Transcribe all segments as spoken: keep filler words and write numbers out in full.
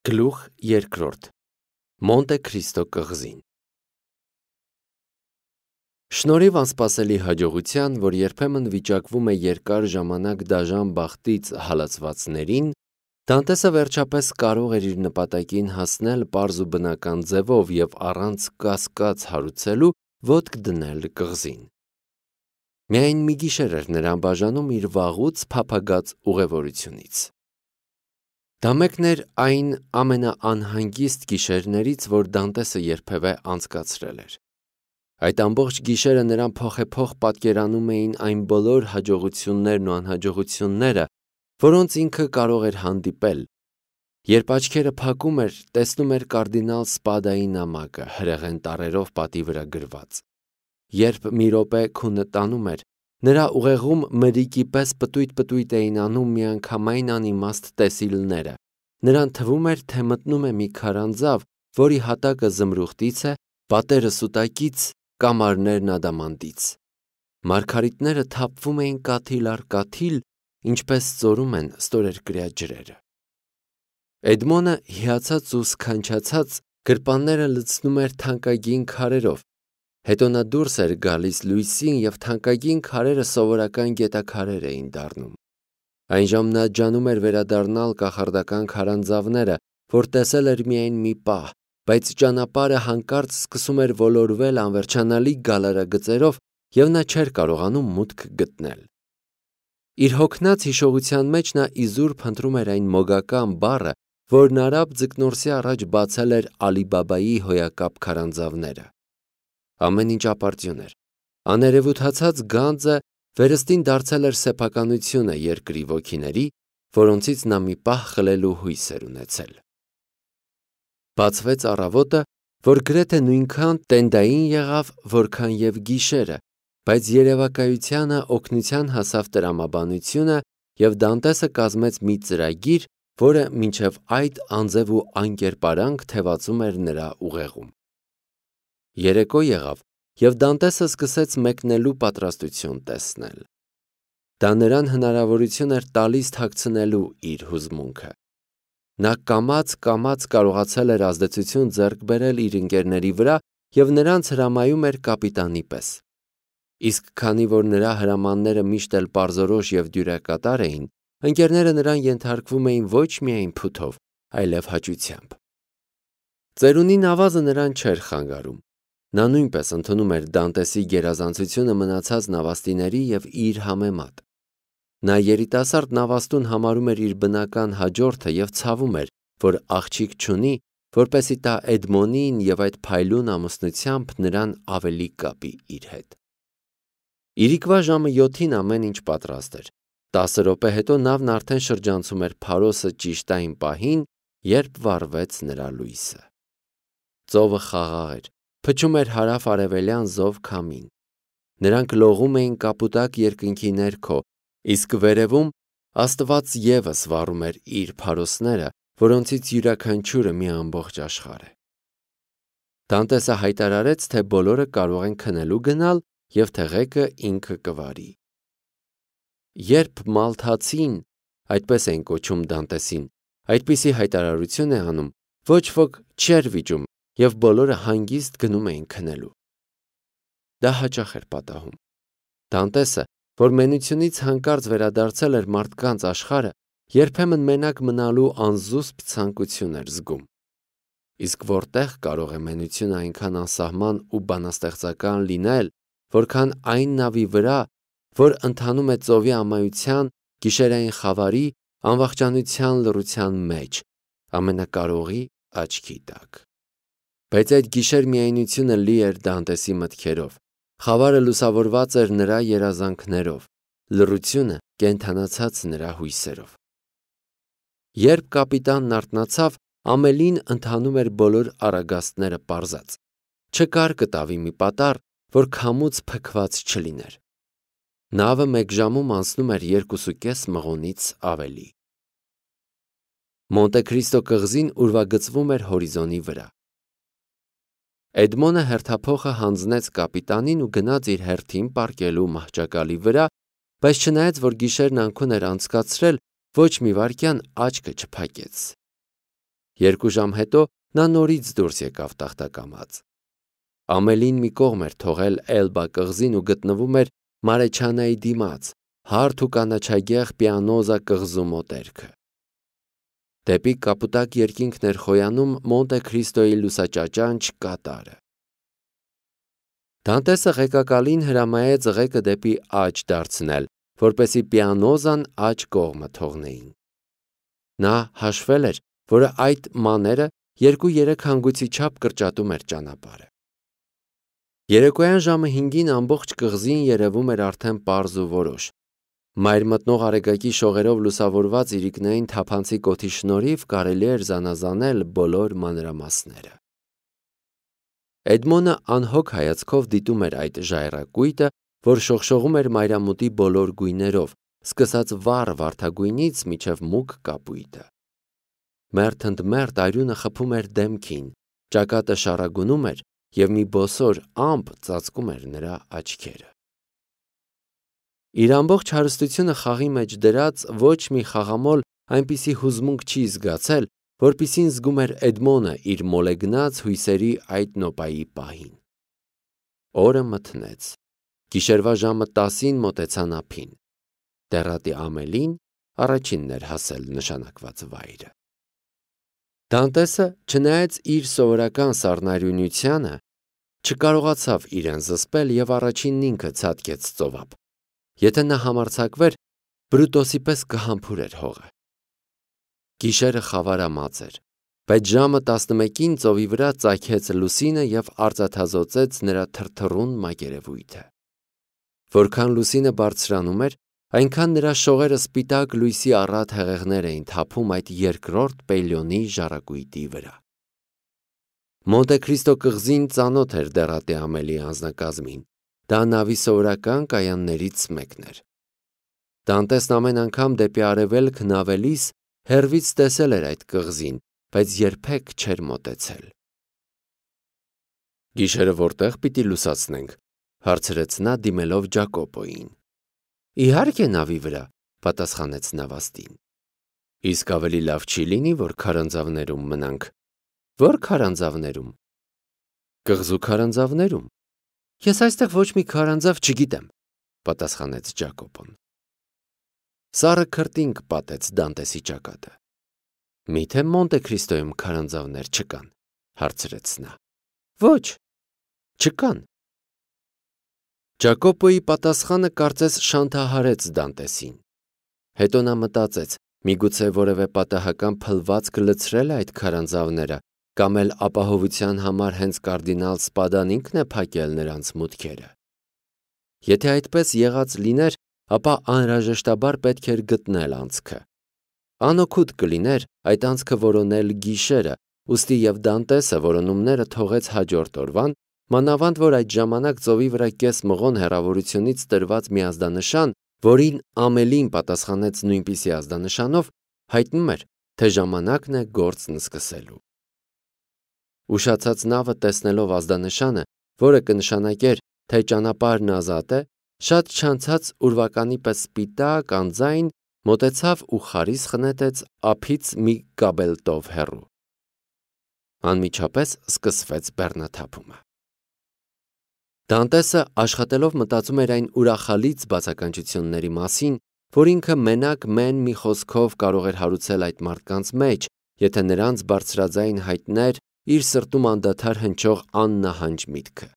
Գլուխ երկրորդ. Մոնտե Քրիստո կղզին։ Շնորհիվ անսպասելի հաջողության, որ երբեմն վիճակվում է երկար ժամանակ դաժան բախտից հալածվածներին, Դանտեսը վերջապես կարող էր իր նպատակին հասնել պարզ ու բնական ձևով և առանց կասկած հարուցելու ոտք դնել կղզին։ Միայն մի գիշեր էր նրան բաժանում իր վաղուց փափագած ուղևորությունից։ Դա մեկն էր այն ամենաանհանգիստ գիշերներից, որ Դանտեսը երբևէ անցկացրել էր։ Այդ ամբողջ գիշերը նրան փոխեփոխ պատկերանում էին այն բոլոր հաջողություններն ու անհաջողությունները, որոնց ինքը կարող էր հանդիպել, երբ աչքերը փակում էր, տեսնում էր կարդինալ Սպադայի նամակը հրեղեն տառերով պատի վրա գրված։ Երբ մի րոպե քունը տանում էր, նրա ուղեղում մրրիկի պես պտույտ-պտույտ էին անում միանգամայն անիմաստ տեսիլները, նրան թվում էր, թե մտնում է մի քարանձավ, որի հատակը զմրուխտից է, պատերը սուտակից, կամարներն ադամանդից։ Մարգարիտները թափվում էին կաթիլ առ կաթիլ, ինչպես ծորում են ստորերկրյա ջրերը։ Էդմոնը հիացած ու սքանչացած գրպանները լցնում էր թանկագին քարերով, հետո նա դուրս էր գալիս լույսին և թանկագին քարերը սովորական գետաքարեր էին դառնում։ Այնժամ նա ջանում էր վերադառնալ կախարդական քարանձավները, որ տեսել էր միայն մի պահ, բայց ճանապարհը հանկարծ սկսում էր ոլորվել անվերջանալի գալարագծերով, և նա չէր կարողանում մուտք գտնել։ Իր հոգնած հիշողության մեջ նա իզուր փնտրում էր այն մոգական բառը, որն արաբ ձկնորսի առաջ բացել էր Ալի Բաբայի հոյակապ քարանձավները։ Ամեն ինչ ապարդյուն էր։ Աներևութացած գանձը վերստին դարձել էր սեփականությունը երկրի ոգիների, որոնցից նա մի պահ խլելու հույս էր ունեցել։ Բացվեց առավոտը, որ գրեթե նույնքան տենդային եղավ, որքան և գիշերը, բայց երևակայությանը օգնության հասավ տրամաբանությունը, և Դանտեսը կազմեց մի ծրագիր, որը մինչև այդ անձև ու անկերպարանք թևածում էր նրա ուղեղում։ Երեկո եղավ, և Դանտեսը սկսեց մեկնելու պատրաստություն տեսնել։ Դա նրան հնարավորություն էր տալիս թաքցնելու իր հուզմունքը։ Նա կամաց-կամաց կարողացել էր ազդեցություն ձեռք բերել իր ընկերների վրա և նրանց հրամայում էր կապիտանի պես։ Իսկ քանի որ նրա հրամանները միշտ էլ պարզորոշ և դյուրակատար էին, ընկերները նրան ենթարկվում էին ոչ միայն փութով, այլև հաճությամբ։ Ծերունի նավազը նրան չէր խանգարում։ Նա նույնպես ընդունում էր Դանտեսի գերազանցությունը մնացած նավաստիների և իր համեմատ։ Նա երիտասարդ նավաստուն համարում էր իր բնական հաջորդը և ցավում էր, որ աղջիկ չունի, որպեսզի տա Էդմոնին և այդ փայլուն ամուսնությամբ նրան ավելի կապի իր հետ։ Իրիկվա ժամը յոթին ամեն ինչ պատրաստ էր։ Տասը րոպե հետո նավն արդեն շրջանցում էր Փարոսը ճիշտ այն պահին, երբ վառվեց նրա լույսը։ Ծովը խաղաղ էր, փչում էր հարավ-արևելյան զով քամին։ Նրանք լողում էին կապուտակ երկնքի ներքո, իսկ վերևում Աստված ևս վառում էր իր փարոսները, որոնցից յուրաքանչյուրը մի ամբողջ աշխարհ է։ Դանտեսը հայտարարեց, թե բոլորը կարող են քնելու գնալ և թեղեկը ինքը կվարի։ Երբ Մալթացին, այդպես էին կոչում Դանտեսին, այդպիսի հայտարարություն է անում, ոչ ոք չէր վիճում, և բոլորը հանգիստ գնում էին քնելու։ Դա հաճախ էր պատահում։ Դանտեսը, որ մենությունից հանկարծ վերադարձել էր մարդկանց աշխարհը, երբեմն մենակ մնալու անզուսպ ցանկություն էր զգում։ Իսկ որտեղ կարող է մենությունը այնքան անսահման ու բանաստեղծական լինել, որքան այն նավի վրա, որ ընթանում է ծովի ամայության, գիշերային խավարի, անվախճանության լռության մեջ, ամենակարողի աչքի տակ։ Բայց այդ գիշեր-միայնությունը լի էր Դանտեսի մտքերով, խավարը լուսավորված էր նրա երազանքներով, լռությունը կենդանացած նրա հույսերով։ Երբ կապիտանն արթնացավ, ամենին ընթանում էր բոլոր առագաստները պարզած։ Չկար կտավի մի պատառ, որ քամուց փքված չլիներ։ Նավը մեկ ժամում անցնում էր երկուսուկես մղոնից ավելի։ Մոնտե Քրիստո կղզին ուրվագծվում էր հորիզոնի վրա։ Էդմոնը հերթափոխը հանձնեց կապիտանին ու գնաց իր հերթին պառկելու մահճակալի վրա, բայց չնայած որ գիշերն անքուն էր անցկացրել, ոչ մի վայրկյան աչքը չփակեց։ Երկու ժամ հետո նա նորից դուրս եկավ տախտակամած։ Ամելին մի կողմ էր թողել Էլբա կղզին ու գտնվում էր Մարեչանայի դիմաց, հարթ ու կանաչագեղ Պիանոզա կղզու մոտերքը։ Դեպի կապուտակ երկինքն էր խոյանում Մոնտե Քրիստոյի լուսաճաճանչ կատարը։ Դանտեսը ղեկակալին հրամայեց ղեկը դեպի աջ դարձնել, որպեսզի Պիանոզան աջ կողմը թողնեին։ Նա հաշվել էր, որ այդ մաները երկու-երեք հանգույցի չափ կրճատում էր ճանապարհը։ Երեկոյան ժամը հինգին ամբողջ կղզին երևում էր արդեն պարզ ու որոշ։ Մայր մտնող արեգակի շողերով լուսավորված իրիկնային թափանցիկ օդի շնորհիվ կարելի էր զանազանել բոլոր մանրամասները։ Էդմոնը անհոգ հայացքով դիտում էր այդ ժայռակույտը, որ շողշողում էր մայրամուտի բոլոր գույներով, սկսած վառ վարդագույնից մինչև մուգ կապույտը։ Մերթ ընդ մերթ արյունը խփում էր դեմքին, ճակատը շառագունում էր և մի բոսոր ամպ ծածկում էր նրա աչքերը։ Իր ամբողջ հարստությունը խաղի մեջ դրած ոչ մի խաղամոլ այնպիսի հուզմունք չի զգացել, որպիսին զգում էր Էդմոնը իր մոլեգնած հույսերի այդ նոպայի պահին։ Օրը մթնեց։ Գիշերվա ժամը տասին մոտեցան ափին։ Դեռատի Ամելին առաջինն էր հասել նշանակված վայրը։ Դանտեսը, չնայած իր սովորական սառնարյունությանը, չկարողացավ իրեն զսպել և առաջինն ինքը ցատկեց ծովափ։ Եթե նա համարձակվեր, Բրուտոսի պես կհամբուրեր հողը։ Գիշերը խավարամած էր, բայց ժամը տասնմեկին ծովի վրա ծագեց լուսինը և արծաթազօծեց նրա թրթռուն մակերևույթը։ Որքան լուսինը բարձրանում էր, այնքան նրա շողերը սպիտակ լույսի առատ հեղեղներ էին թափում այդ երկրորդ Պելիոնի ժառակույտի վրա։ Մոնտե Քրիստո կղզին ծանոթ էր դեռատի Ամելիի անձնակազմին, դա նավի սովորական կայաններից մեկն էր։ Դանտեսն ամեն անգամ դեպի արևելք նավելիս հեռվից տեսել էր այդ կղզին, բայց երբեք չէր մոտեցել։ Գիշերը որտեղ պիտի լուսացնենք, հարցրեց նա դիմելով Ջակոպոյին։ Իհարկե նավի վրա, պատասխանեց նավաստին։ Իսկ ավելի լավ չի լինի, որ քարանձավներում մնանք։ Որ քարանձավներում։ Կղզու քարանձավներում։ Ես այստեղ ոչ մի քարանձավ չգիտեմ, պատասխանեց Ջակոպոն։ Սառը քրտինք պատեց Դանտեսի ճակատը։ Միթե Մոնտե Քրիստոյում քարանձավներ չկան, հարցրեց նա։ Ոչ, չկան։ Ջակոպոյի պատասխանը կարծես շանթահարեց Դանտեսին։ Հետո նա մտածեց, միգուցե որևէ պատահական փլվածք լցրել է այդ քարանձավները, կամ էլ ապահովության համար հենց կարդինալ Սպադան ինքն է փակել նրանց մուտքերը։ Եթե այդպես եղած լիներ, ապա անհրաժեշտաբար պետք էր գտնել անցքը։ Անօգուտ կլիներ այդ անցքը որոնել գիշերը, ուստի և Դանտեսը որոնումները թողեց հաջորդ օրվան, մանավանդ որ այդ ժամանակ ծովի վրա կես մղոն հեռավորությունից տրված մի ազդանշան, որին Ամելին պատասխանեց նույնպիսի ազդանշանով, հայտնում էր, թե ժամանակն է գործն սկսելու։ Ուշացած նավը տեսնելով ազդանշանը, որը կնշանակեր, թե ճանապարհն ազատ է, շատ չանցած ուրվականի պես սպիտակ անձայն մոտեցավ ու խարիսխ նետեց ափից մի կաբելտով հեռու։ Անմիջապես սկսվեց բեռնաթափումը։ Դանտեսը աշխատելով մտածում էր այն ուրախալից բացականչությունների մասին, որ ինքը մենակ մեն մի խոսքով կարող էր հարուցել այդ մարդկանց մեջ, եթե նրանց բարձրաձայն հայտներ իր սրտում անդադար հնչող աննահանջ միտքը։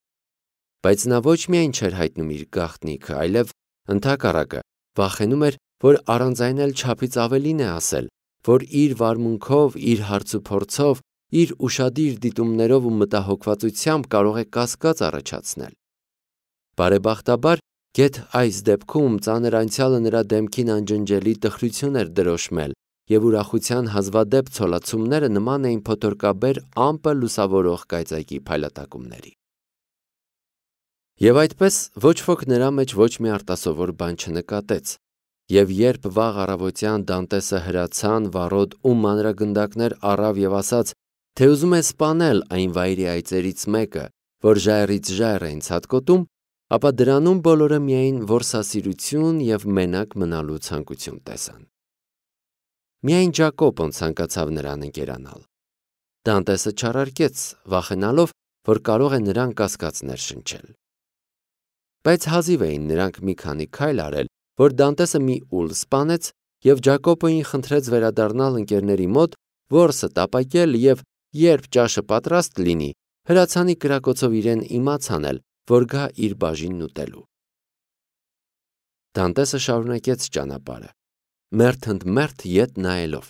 Բայց նա ոչ միայն չէր հայտնում իր գաղտնիքը, այլև ընդհակառակը վախենում էր, որ առանց այն էլ չափից ավելին է ասել, որ իր վարմունքով, իր հարցուփորձով, իր ուշադիր դիտումներով ու մտահոգվածությամբ կարող է կասկած առաջացնել։ Բարեբախտաբար, գեթ այս դեպքում ծանր անցյալը նրա դեմքին անջնջելի տխրություն էր դրոշմել, և ուրախության հազվադեպ ցոլացումները նման էին փոթորկաբեր ամպը լուսավորող կայծակի փայլատակումների։ Եվ այդպես ոչ ոք նրա մեջ ոչ մի արտասովոր բան չնկատեց, և երբ վաղ առավոտյան Դանտեսը հրացան վառոդ ու մանրագնդակներ առավ և ասաց, թե ուզում է սպանել այն վայրի այծերից մեկը, որ ժայռից ժայռ էին ցատկոտում, ապա դրանում բոլորը միայն որսասիրություն և մենակ մնալու ցանկություն տեսան։ Միայն Ջակոպոն ցանկացավ նրան ընկերանալ։ Դանտեսը չարարկեց, վախենալով, որ կարող է նրան կասկած ներշնչել։ Բայց հազիվ էին նրանք մի քանի քայլ արել, որ Դանտեսը մի ուլ սպանեց և Ջակոպոյին խնդրեց վերադառնալ ընկերների մոտ, որսը տապակել և երբ ճաշը պատրաստ լինի, հրացանի կրակոցով իրեն իմաց անել, որ գա իր բաժինն ուտելու։ Դանտեսը շարունակեց ճանապարհը, մերթ ընդ մերթ ետ նայելով։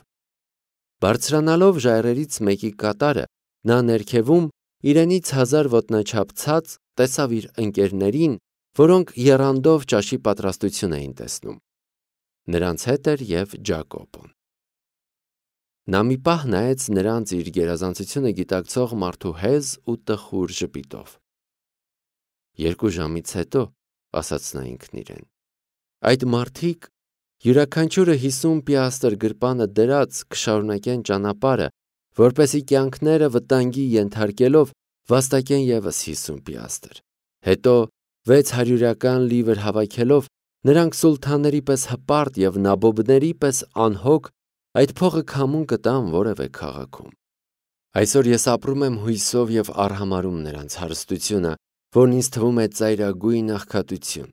Բարձրանալով ժայռերից մեկի կատարը, նա ներքևում իրենից հազար ոտնաչափ ցած տեսավ իր ընկերներին, որոնք եռանդով ճաշի պատրաստություն էին տեսնում։ Նրանց հետ էր և Ջակոպոն։ Նա մի պահ նայեց նրանց իր գերազանցությունը գիտակցող մարդու հեզ ու տխուր ժպիտով։ Երկու ժամից հետո, ասաց նա ինքն իրեն, այդ մարդիկ յուրաքանչյուրը հիսուն պիաստր գրպանը դրած կշարունակեն ճանապարհը, որպեսզի կյանքները վտանգի ենթարկելով վաստակեն ևս հիսուն պիաստր։ Հետո վեց հարյուրյական լիվր հավաքելով նրանք սուլթանների պես հպարտ և նաբոբների պես անհոգ այդ փողը քամուն կտան որևէ քաղաքում։ Այսօր ես ապրում եմ հույսով և արհամարհում նրանց հարստությունը, որն ինձ թվում է ծայրագույն աղքատություն։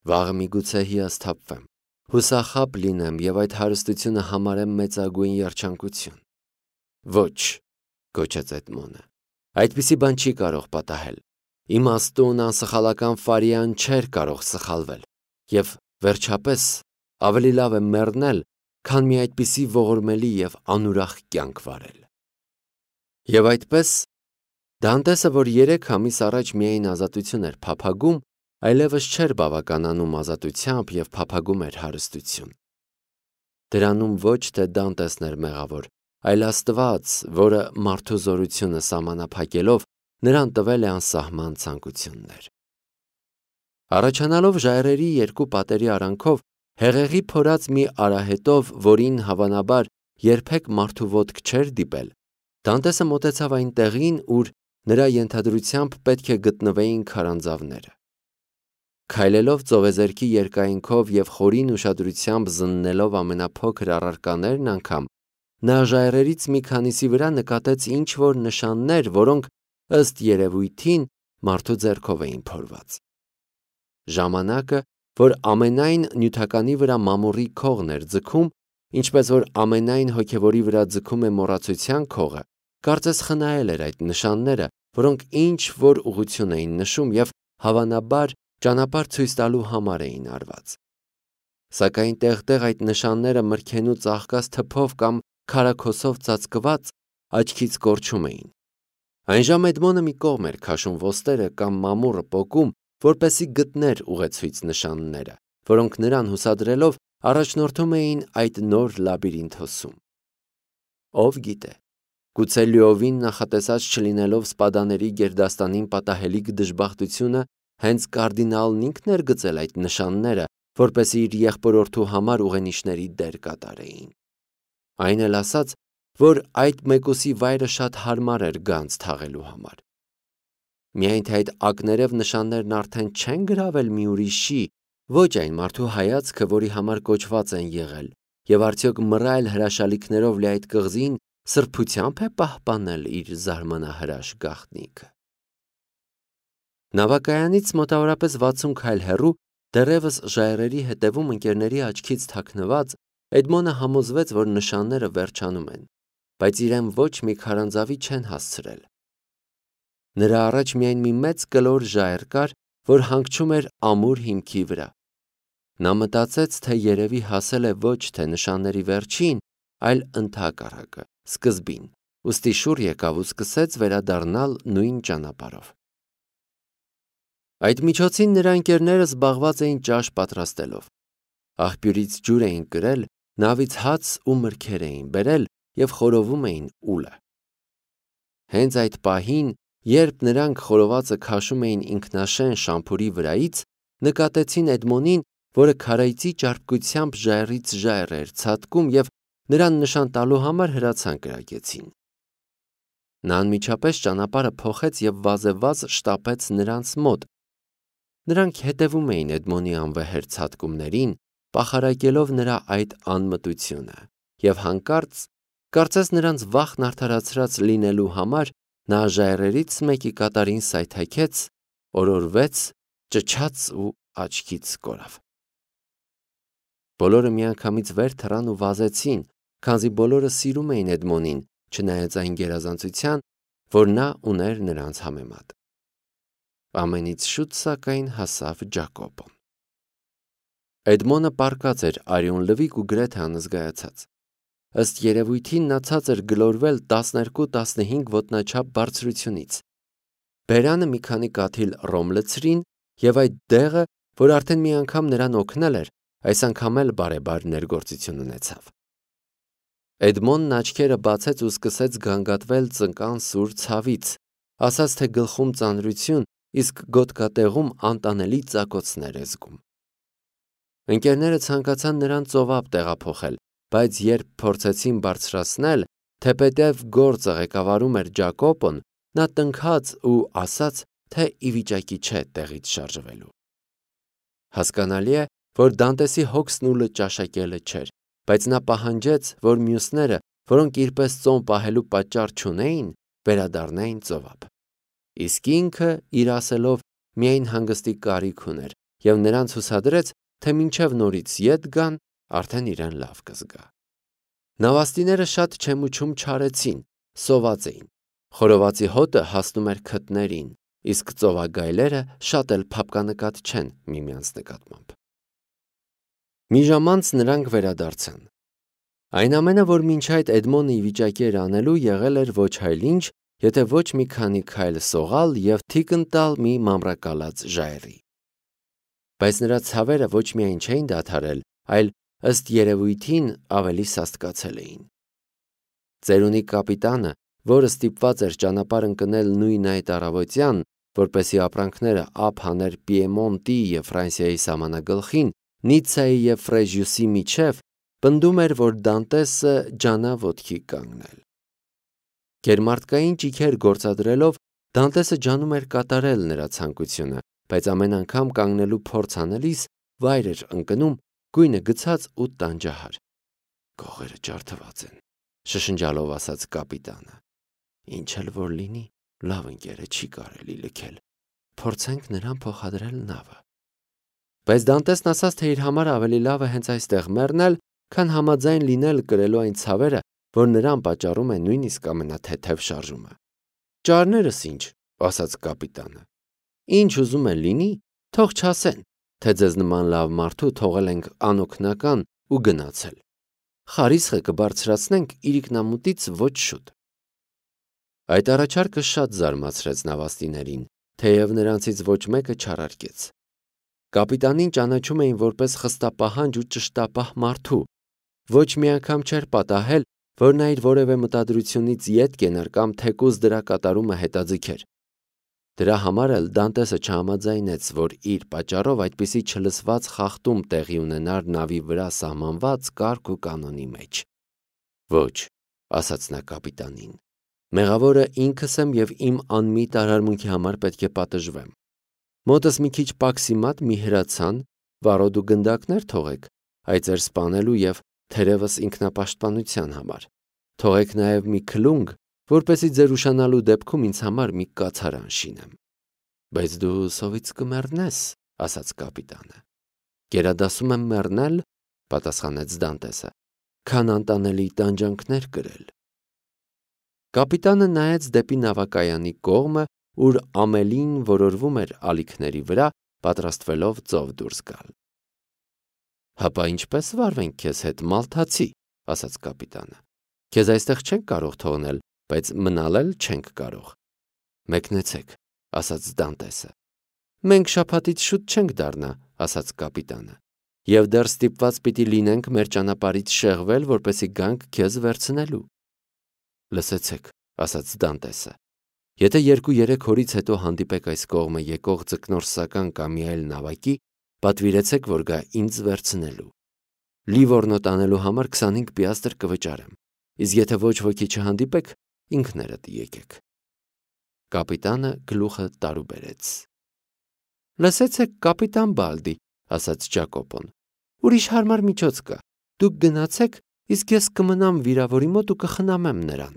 Վաղը միգուցե հիասթափվեմ, հուսախաբ լինեմ և այդ հարստությունը համարեմ մեծագույն երջանկություն։ Ոչ, գոչեց Էդմոնը, այդպիսի բան չի կարող պատահել։ Իմաստուն անսխալական Ֆարիան չէր կարող սխալվել, և վերջապես ավելի լավ է մեռնել, քան մի այդպիսի ողորմելի և անուրախ կյանք վարել։ Եվ այդպես Դանտեսը, որ երեք ամիս առաջ միայն ազատություն էր փափագում, այլևս չէր բավականանում ազատությամբ և փափագում էր հարստություն։ Դրանում ոչ թե Դանտեսն էր մեղավոր, այլ Աստված, որը մարդու զորությունը սահմանափակելով նրան տվել է անսահման ցանկություններ։ Առաջանալով ժայռերի երկու պատերի արանքով, հեղեղի փորած մի արահետով, որին հավանաբար երբեք մարդու ոտք չէր դիպել, Դանտեսը մոտեցավ այն տեղին, ուր նրա ենթադրությամբ պետք է գտնվեին քարանձավները։ Քայլելով ծովեզերքի երկայնքով և խորին ուշադրությամբ զննելով ամենափոքր առարկաներն անգամ, նա ժայռերից մի քանիսի վրա նկատեց ինչ-որ նշաններ, որոնք, ըստ երևույթին, մարդու ձեռքով էին փորված։ Ժամանակը, որ ամենայն նյութականի վրա մամուռի քողն էր ձգում, ինչպես որ ամենայն հոգևորի վրա ձգում է մոռացության քողը, կարծես խնայել էր այդ նշանները, որոնք ինչ-որ ուղղություն էին նշում և հավանաբար ճանապարհ ցույց տալու համար էին արված։ Սակայն տեղ-տեղ այդ նշանները մրգենու ծաղկած թփով կամ քարաքոսով ծածկված աչքից կորչում էին։ Այնժամ Էդմոնը մի կողմ էր քաշում ոստերը կամ մամուռը պոկում, որպեսզի գտներ ուղեցույց նշանները, որոնք նրան հուսադրելով առաջնորդում էին այդ նոր լաբիրինթոսում։ Ով գիտե, գուցե լիովին նախատեսած չլինելով Սպադաների գերդաստանին պատահելիք դժբախտությունը հենց կարդինալն ինքն էր գծել այդ նշանները, որպեսզի իր եղբորորդու համար ուղենիշների դեր կատարեին։ Այն էլ ասաց, որ այդ մեկուսի վայրը շատ հարմար էր գանձ թաղելու համար։ Միայն թե այդ ակներև նշաններն արդեն չեն գրավել մի ուրիշի, ոչ այն մարդու հայացքը, որի համար կոչված են եղել, և արդյոք մռայլ հրաշալիքներով լի այդ կղզին սրբությամբ է պահպանել իր զարմանահրաշ գաղտնիքը։ Նավակայանից մոտավորապես վաթսուն քայլ հեռու, դեռևս ժայռերի հետևում ընկերների աչքից թաքնված, Էդմոնը համոզվեց, որ նշանները վերջանում են, բայց իրեն ոչ մի քարանձավի չեն հասցրել։ Նրա առաջ միայն մի մեծ կլոր ժայռ կար, որ հանգչում էր ամուր հիմքի վրա։ Նա մտածեց, թե երևի հասել է ոչ թե նշանների վերջին, այլ ընդհակառակը, սկզբին, ուստի շուռ եկավ ու սկսեց վերադառնալ նույն ճանապարհով։ Այդ միջոցին նրա ընկերները զբաղված էին ճաշ պատրաստելով։ Աղբյուրից ջուր էին կրել, նավից հաց ու մրգեր էին բերել և խորովում էին ուլը։ Հենց այդ պահին, երբ նրանք խորովածը քաշում էին ինքնաշեն շամփուրի վրայից, նկատեցին Էդմոնին, որը քարայծի ճարպկությամբ ժայռից ժայռ էր ցատկում և նրան նշան տալու համար հրացան կրակեցին։ Նա անմիջապես ճանապարհը փոխեց և վազեվազ շտապեց նրանց մոտ։ Նրանք հետևում էին Էդմոնի անվեհեր ցատկումներին, պախարակելով նրա այդ անմտությունը, և հանկարծ Կարծես նրանց վախն արդարացրած լինելու համար նա ժայռերից մեկի կատարին սայթաքեց, օրորվեց, ճչաց ու աչքից կորավ։ Բոլորը միանգամից վեր թռան ու վազեցին, քանզի բոլորը սիրում էին Էդմոնին, չնայած այն գերազանցության, որ նա ուներ նրանց համեմատ։ Ամենից շուտ սակայն հասավ Ջակոբոն։ Էդմոնը պառկած էր արյուն լվիկ ու գրեթե անզգայացած։ Ըստ երևույթին նա ցածր գլորվել տասներկու տասնհինգ ոտնաչափ բարձրությունից։ Բերանը մի քանի կաթիլ ռոմ լցրին, եւ այդ դեղը, որ արդեն մի անգամ նրան օգնել էր, այս անգամ էլ բարեբար ներգործություն ունեցավ։ Էդմոնն աչքերը բացեց ու սկսեց գանգատվել ծնկան սուր ցավից, ասաց թե գլխում ծանրություն, իսկ գոտկատեղում անտանելի ծակոցներ է զգում։ Ընկերները ցանկացան նրան ծովափ տեղափոխել, բայց երբ փորձեցին բարձրացնել, թեպետև գործը ղեկավարում էր Ջակոբոն, նա տնքաց ու ասաց, թե ի վիճակի չէ տեղից շարժվելու։ Հասկանալի է, որ Դանտեսի հոգսն ուլը ճաշակելը չէր, բայց նա պահանջեց, որ մյուսները, որոնք իրպես ծոմ պահելու պատճառ չունեին, վերադառնային ծովափ։ Իսկ ինքը, իր ասելով, միայն հանգստի կարիք ուներ եւ նրանց հուսադրեց, թե մինչև նորից ետ գան, արդեն իրեն լավ կզգա։ Նավաստիները շատ չեմուչում չարեցին, սոված էին։ Խորովածի հոտը հասնում էր քթներին, իսկ ծովագայլերը շատ էլ փափկանկատ չեն միմյանց նկատմամբ։ Մի ժամ անց նրանք վերադարձան։ Այն ամենը, որ մինչ այդ Էդմոնը ի վիճակի էր անելու, եղել էր ոչ այլ ինչ, եթե ոչ մի քանի քայլ սողալ եւ թիկն տալ մի մամրակալած ժայռի։ Բայց նրա ցավերը ոչ միայն չէին դադարել, այլ ըստ երևույթին ավելի սաստկացել էին։ Ծերունի կապիտանը, որը ստիպված էր ճանապարհ ընկնել նույն այդ առավոտյան, որպեսի ապրանքները ափ հաներ Պիեմոնտի եւ Ֆրանսիայի սահմանագլխին, Նիցայի եւ Ֆրեժյուսի միջև, պնդում էր, որ Դանտեսը ջանա ոտքի կանգնել։ Գերմարտկային ճիգեր գործադրելով Դանտեսը ջանում էր կատարել նրա ցանկությունը, բայց ամեն անգամ կանգնելու փորձ անելիս վայր էր ընկնում, գույնը գցած ու տանջահար։ Կողերը ջարդված են, շշնջալով ասաց կապիտանը։ Ինչ էլ որ լինի, լավ ընկերը չի կարելի լքել։ Փորձենք նրան փոխադրել նավը։ Բայց Դանտեսն ասաց, թե իր համար ավելի լավ է հենց այստեղ մեռնել, քան համաձայն լինել կրելու այն ցավերը, որ նրան պատճառում է նույնիսկ ամենաթեթև շարժումը։ Ճարներս ինչ, ասաց կապիտանը։ Ինչ ուզում են լինի, թող չասեն, թե ձեզ նման լավ մարդու թողել ենք անօգնական ու գնացել։ Խարիսխը կբարձրացնենք իրիկնամուտից ոչ շուտ։ Այդ առաջարկը շատ զարմացրեց նավաստիներին, թեև նրանցից ոչ մեկը չարարկեց։ Կապիտանին ճանաչում էին որպես խստապահանջ ու ճշտապահ մարդու, ոչ մի անգամ չէր պատահել, որ նա իր որևէ մտադրությունից ետ կենար կամ թեկուզ դրա կատարումը հետաձգեր։ Դրա համար էլ Դանտեսը չհամաձայնեց, որ իր պատճառով այդպիսի չլսված խախտում տեղի ունենար նավի վրա սահմանված կարգ ու կանոնի մեջ։ Ոչ, ասաց նա կապիտանին, մեղավորը ինքս եմ եւ իմ անմիտ արարմունքի համար պետք է պատժվեմ։ Մոտս մի քիչ պաքսիմատ մի հրացան, վարոդ ու գնդակներ թողեք, այդ ձեր սպանելու եւ թերևս ինքնապաշտպանության համար։ Թողեք նաեւ մի քլունգ, որպեսզի ձեր ուշանալու դեպքում ինձ համար մի կացարան շինեմ։ Բայց դու սովից կմեռնես, ասաց կապիտանը։ Գերադասում եմ մեռնել, պատասխանեց Դանտեսը, քան անտանելի տանջանքներ կրել։ Կապիտանը նայեց դեպի նավակայանի կողմը, ուր ամելին որորվում էր ալիքների վրա, պատրաստվելով ծով դուրս գալ։ Հապա ինչպես վարվենք քեզ հետ, մալթացի, ասաց կապիտանը։ Քեզ այստեղ չենք կարող թողնել, բայց մնալ էլ չենք կարող։ Մեկնեցեք, ասաց Դանտեսը։ Մենք շաբաթից շուտ չենք դառնա, ասաց կապիտանը։ Եվ դեռ ստիպված պիտի լինենք մեր ճանապարհից շեղվել, որպեսզի գանք քեզ վերցնելու։ Լսեցեք, ասաց Դանտեսը։ Եթե երկու-երեք օրից հետո հանդիպեք այս կողմը եկող ձկնորսական կամ մի այլ նավակի, պատվիրեցեք, որ գա ինձ վերցնելու։ Լիվորնոտ անելու համար քսանհինգ պիաստր կվճարեմ, իսկ եթե ոչ ոքի չհանդիպեք, ինքներդ եկեք։ Կապիտանը գլուխը տարուբերեց։ Լսեցեք, կապիտան Բալդի, ասաց Ջակոբոն, ուրիշ հարմար միջոց կա։ Դուք գնացեք, իսկ ես կմնամ վիրավորի մոտ ու կխնամեմ նրան։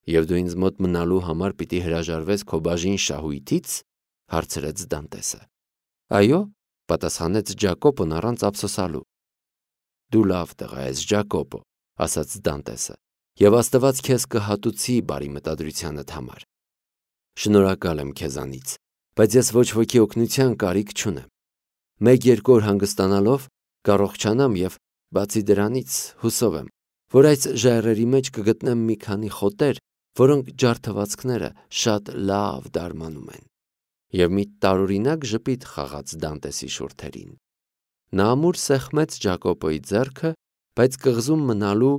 Եվ դու ինձ մոտ մնալու համար պիտի հրաժարվես քո բաժին շահույթից, հարցրեց Դանտեսը։ Այո, պատասխանեց Ջակոբոն առանց ափսոսալու։ Դու լավ տղա ես, Ջակոբո, ասաց Դանտեսը, եւ Աստված քեզ կհատուցի բարի մտադրությանդ համար։ Շնորհակալ եմ քեզանից, բայց ես ոչ ոքի օգնության կարիք չունեմ։ Մեկ-երկու օր հանգստանալով կառողջանամ եւ բացի դրանից հուսով եմ, որ այս ժայռերի մեջ կգտնեմ մի քանի խոտեր, որոնք ջարդվածքները շատ լավ դարմանում են։ Եվ մի տարօրինակ ժպիտ խաղաց Դանտեսի շուրթերին։ Նա ամուր սեղմեց Ջակոբոյի ձեռքը, բայց կղզում մնալու,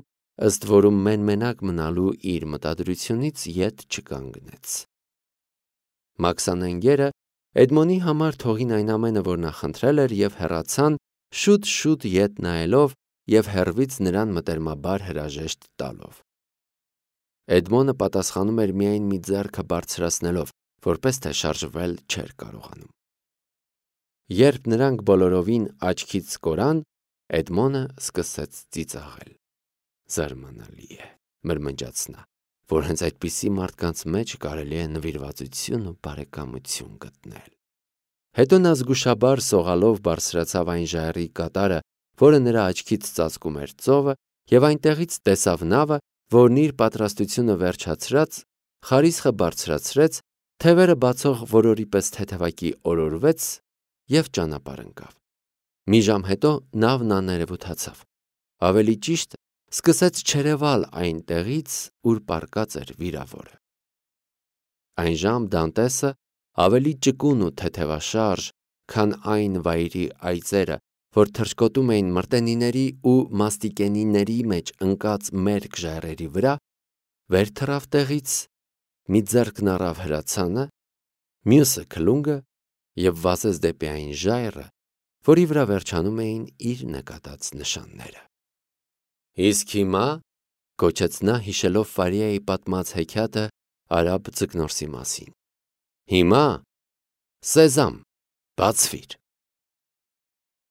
ըստ որում մեն-մենակ մնալու իր մտադրությունից ետ չկանգնեց։ Մաքսանենգերը Էդմոնի համար թողին այն ամենը, որ նա խնդրել էր, եւ հեռացան, շուտ-շուտ ետ նայելով եւ հեռվից նրան մտերմաբար հրաժեշտ տալով։ Էդմոնը պատասխանում էր միայն մի ձեռքը բարձրացնելով, որպես թե շարժվել չէր կարողանում։ Երբ նրանք բոլորովին աչքից կորան, Էդմոնը սկսեց ծիծաղել։ Զարմանալի է, մրմնջաց նա, որ հենց այդպիսի մարդկանց մեջ կարելի է նվիրվածություն ու բարեկամություն գտնել։ Հետո նա զգուշաբար սողալով բարձրացավ այն ժայռի կատարը, որը նրա աչքից ծածկում էր ծովը, եւ այնտեղից տեսավ նավը, որն իր պատրաստությունը վերջացրած, խարիսխը բարձրացրեց, թևերը բացող որորի պես թեթևակի օրորվեց եւ ճանապարհ ընկավ։ Մի ժամ հետո նավն աներևութացավ։ Ավելի ճիշտ, սկսեց չերևալ այն տեղից, ուր պառկած էր վիրավորը։ Այն ժամ Դանտեսը ավելի ճկուն ու թեթևաշարժ, քան այն վայրի այծերը, որ թռչկոտում էին մրտենիների ու մաստիկենիների մեջ ընկած մերկ ժայռերի վրա, վեր թռավ տեղից, մի ձեռքն առավ հրացանը, մյուսը քլունգը եւ վազեց դեպի այն ժայռը, որի վրա վերջանում էին իր նկատած նշանները։ Իսկ հիմա, կոչեց նա հիշելով Ֆարիայի պատմած հեքիաթը արաբ ձկնորսի մասին, հիմա, սեզամ, բացվիր։